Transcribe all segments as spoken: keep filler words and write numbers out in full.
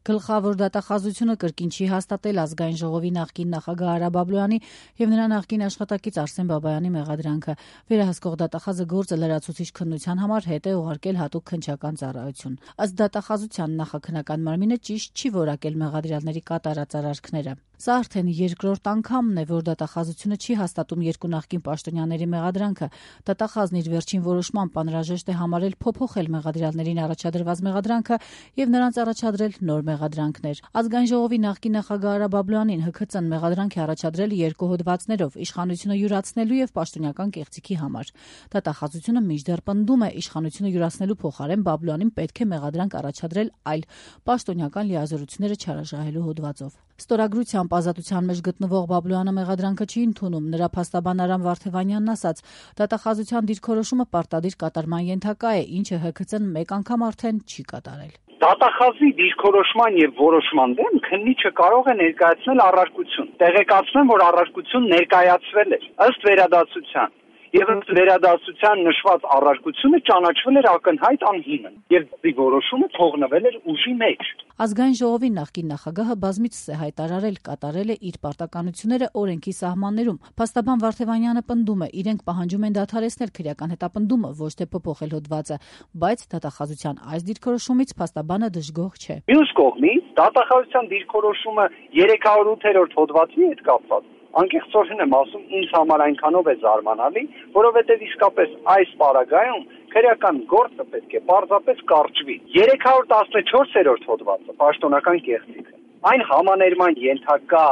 Գլխավոր դատախազությունը կրկին չի հաստատել ազգային ժողովի նախկին նախագահ Արա Բաբլոյանի եւ նրա նախկին աշխատակից Արսեն Բաբայանի մեղադրանքը։ Վերահսկող դատախազը գործը լրացուցիչ քննության համար հետ է ուղարկել հատուկ քննչական ծառայություն։ Ըստ դատախազության նախաքննական մարմինը ճիշտ չի որակել մեղադրյալների կատարած արարքները։ Սա արդեն երկրորդ անգամն է, որ դատախազությունը չի հաստատում երկու նախկին պաշտոնյաների մեղադրանքը։ Դատախազն իր վերջին որոշմամբ անհրաժեշտ է համարել փոփոխել մեղադրյալներին առաջադրված մեղադրանքը եւ նրանց առաջադրել նոր մեղադրանքներ։ Ազգային ժողովի նախկին նախագահ Արա Բաբլոյանին Հ K Ց-ն մեղադրանք է առաջադրել երկու հոդվածներով՝ իշխանությունը յուրացնելու եւ պաշտոնական կեղծիքի համար։ Դատախազությունը մինչդեռ պնդում է, իշխանությունը յուրացնելու փոխարեն Բաբլոյանին պետք է մեղադրանք առաջադրել այլ պաշտոնական լիազորությունները չարաշահելու հոդվածով։ Ստորագրությամբ ազատության մեջ գտնվող Բաբլոյանը մեղադրանքը չի ընդունում։ Նրա փաստաբան Արամ Վարդևանյանն ասաց. դատախազության դիրքորոշումը պարտադիր կատարման ենթակա է, ինչը Հ K Ց-ն մեկ անգամ արդեն չի կատարել։ Դատախազի դիրքորոշման եւ որոշման դեմ քննիչը կարող է ներկայացնել առարկություն։ Տեղեկացնեմ, որ առարկություն ներկայացվել է ըստ վերադասության։ Եվ ըստ վերադասության նշված առարկությունը ճանաչվել էր ակնհայտ անհիմն եւ դի որոշումը թողնվել էր ուժի մեջ։ Ազգային ժողովի նախկին նախագահը բազմիցս է հայտարարել կատարել է իր պարտականությունները օրենքի սահմաններում։ Փաստաբան Վարդևանյանը պնդում է, իրենք պահանջում են դադարեցնել քրեական հետապնդումը, ոչ թե փոփոխել հոդվածը, բայց դատախազության այս դիրքորոշումից փաստաբանը դժգոհ չէ։ Մյուս կողմից դատախազության դիրքորոշումը երեք հարյուր ութ հոդվածի հետ կապված անկեղծորեն եմ ասում, ինձ համար այնքանով է զարմանալի, որովհետև իսկապես այս պարագայում քրեական գործը պետք է պարզապես կարճվի։ երեք հարյուր տասնչորս հոդվածը պաշտոնական կեղծիքը այն համաներման ենթակա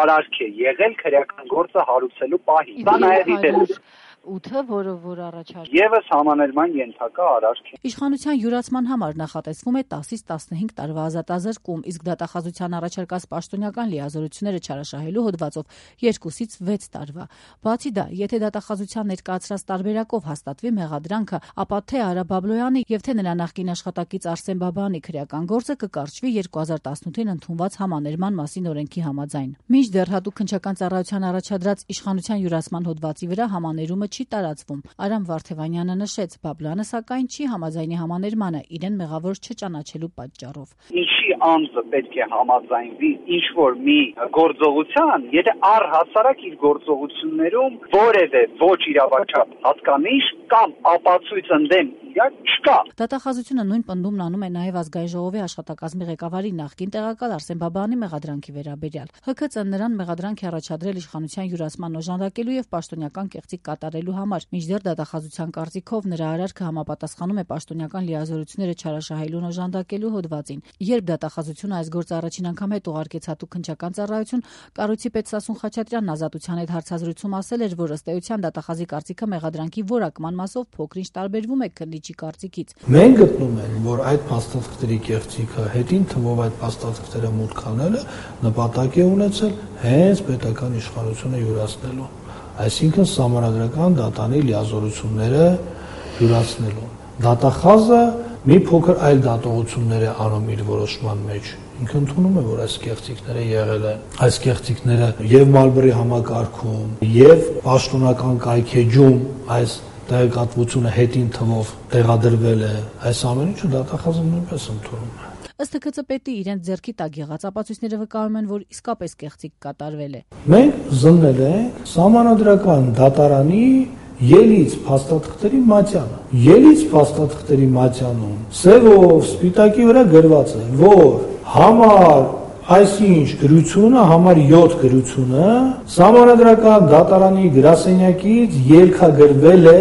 արարք է եղել քրեական գործը հարուցելու պահին։ Դա նաև իդել ութը, որը որ առաջարկել Եվս համաներման ենթակա արարք է։ Իշխանության յուրացման համար նախատեսվում է տասից տասնհինգ տարվա ազատազրկում, իսկ դատախազության առաջարկած պաշտոնական լիազորությունները չարաշահելու հոդվածով երկուսից վեց տարվա։ Բացի դա, եթե դատախազության ներկայացրած տարբերակով հաստատվի մեղադրանքը, ապա թե Արա Բաբլոյանի եւ թե նրա նախկին աշխատակից Արսեն Բաբայանի քրեական գործը կկարճվի երկու հազար տասնութին ընդունված համաներման մասին օրենքի համաձայն։ Մինչդեռ հատուկ քննչական ծառայության առաջադրած իշխանության յուրացման հոդվածի վրա համաներումը չի տարածվում։ Արամ Վարդևանյանը նշեց, Բաբլոյանը սակայն չի համաձայնի համաներմանը իրեն մեղավոր չճանաչելու պատճառով։ Ինչի անձը պետք է համաձայնվի ինչ որ մի գործողության, եթե առհասարակ իր գործողություններում որևէ ոչ իրավաչափ հատկանիշ կամ ապացույց ընդդեմ իրար չկա։ Դատախազությունը նույն պնդումն անում է նաև ազգային ժողովի աշխատակազմի ղեկավարի նախկին տեղակալ Արսեն Բաբայանի մեղադրանքի վերաբերյալ։ Հ K Ց-ն նրան մեղադրանք է առաջադրել իշխանության յուրացման օժանդակելու եւ պաշտոնական կեղծիք կատարելու համար։ Մինչդեռ դատախազության կարծիքով նրա արարքը համապատասխանում է պաշտոնական լիազորությունները չարաշահելուն օժանդակելու հոդվածին։ Երբ դատախազությունը այս գործը առաջին անգամ հետ ուղարկեց հատուկ քննչական ծառայություն, կառույցի պետ Սասուն Խաչատրյանն ազատության հետ հարցազրույցում ասել էր, որ ըստ էության դատախազի կարծիքը մեղադրանքի որակման մասով փոքր-ինչ տարբերվում է քննիչի կարծիքից։ Մենք գտնում ենք, որ այդ փաստաթղթերի կեղծիքը հետին թվով այդ փաստաթղթերը մուտք անելը նպատակ է ունեցել հենց պետական իշխանությունը յուրացնելու, այսինքն սահմանադրական դատանի լիազորությունները յուրացնելու։ Դատախազը մի փոքր այլ դատողություններ է անում իր որոշման մեջ։ Ինքը ընդունում է, որ այս կեղծիքները եղել են։ Այս կեղծիքները եւ Մալբերի համակարգում, եւ պաշտոնական կայքեջում այս տեղեկատվությունը հետին թվով տեղադրվել է, այս ամեն ինչը դատախազը նույնպես ընդունում է։ Ըստ Հ K Ց պետի իրենց ձեռքի տակ եղած ապացույցները վկայում են, որ իսկապես կեղծիք կատարվել է։ Մենք զննել ենք սահմանադրական դատարանի ելից փաստաթղթերի մատյանը։ Ելից փաստաթղթերի մատյանում սևով սպիտակի վրա գրված է, որ համար այսինչ գրությունը, համար յոթ գրությունը սահմանադրական դատարանի գրասենյակից ելքագրվել է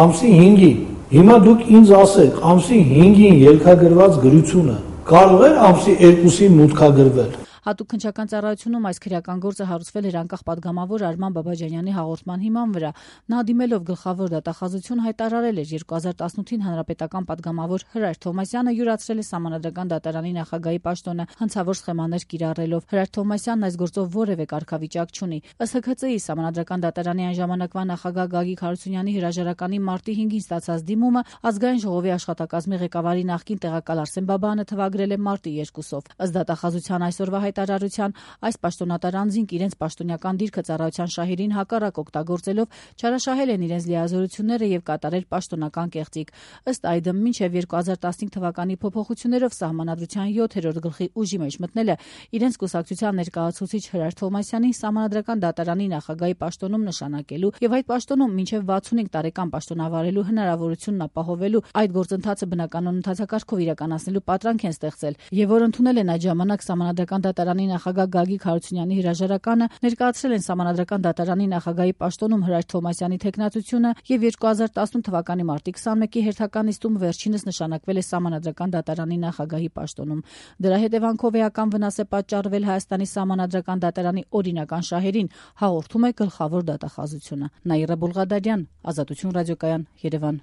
ամսի հինգին։ Հիմա դուք ինձ ասեք, ամսի հինգին ելքագրված գրությունը կարող է ամսի երկուսին մուտքագրվել։ Հատուկ քննչական ծառայությունում այս քրեական գործը հարուցվել էր անկախ պատգամավոր Արման Բաբաջանյանի հաղորդման հիման վրա։ Նա դիմելով գլխավոր դատախազություն հայտարարել էր երկու հազար տասնութին հանրապետական պատգամավոր Հրայր Թովմասյանը յուրացրել է սահմանադրական դատարանի նախագահի պաշտոնը հանցավոր սխեմաներ կիրառելով։ Հրայր Թովմասյանն այս գործով որևէ կարգավիճակ չունի։ Ըստ Հ K Ց-ի սահմանադրական դատարանի այն ժամանակվա նախագահ Գագիկ Հարությունյանի հրաժարականի մարտի հինգին ստացած դիմումը ազգային ժողովի աշխատակազմի ղեկավարի նախկին տեղակալ Արսեն Բաբայանը թվագրել է մարտի երկուսով։ Ըստ դատախազության այսօրվա հայտարարության, այս պաշտոնատար անձինք իրենց պաշտոնական դիրքը ծառայության շահերին հակառակ օգտագործելով չարաշահել են իրենց լիազորությունները եւ կատարել պաշտոնական կեղծիք։ Ըստ այդմ, մինչեւ երկու հազար տասնհինգ թվականի փոփոխություններով Սահմանադրության յոթերորդ գլխի ուժի մեջ մտնելը իրենց կուսակցության ներկայացուցիչ Հրար Թովմասյանին Սահմանադրական դատարանի նախագահի պաշտոնում նշանակելու եւ այդ պաշտոնում մինչեւ վաթսունհինգ տարեկան պաշտոնավարելու հնարավորությունն ապահովելու այդ գործընթացը բնականon ընթացակարգով իրականացնելու պատրանք են ստեղծել եւ որ ընդունել են այդ ժամանակ Սահմանադրական դատարանի նախագահ Գագիկ Հարությունյանի հրաժարականը, ներկայացրել են Սահմանադրական դատարանի նախագահի պաշտոնում Հրար Թովմասյանի թեկնածությունը եւ երկու հազար տասնութ թվականի մարտի քսանմեկի հերթական նիստում վերջինս նշանակվել է Սահմանադրական դատարանի նախագահի պաշտոնում։ Դրա հետևանքով էական վնաս է պատճառվել Հայաստանի Սահմանադրական դատարանի օրինական շահերին, հաղորդում է գլխավոր դատախազությունը։ Նաիրա Բուլղադարյան, Ազատություն ռադիոկայան, Երևան։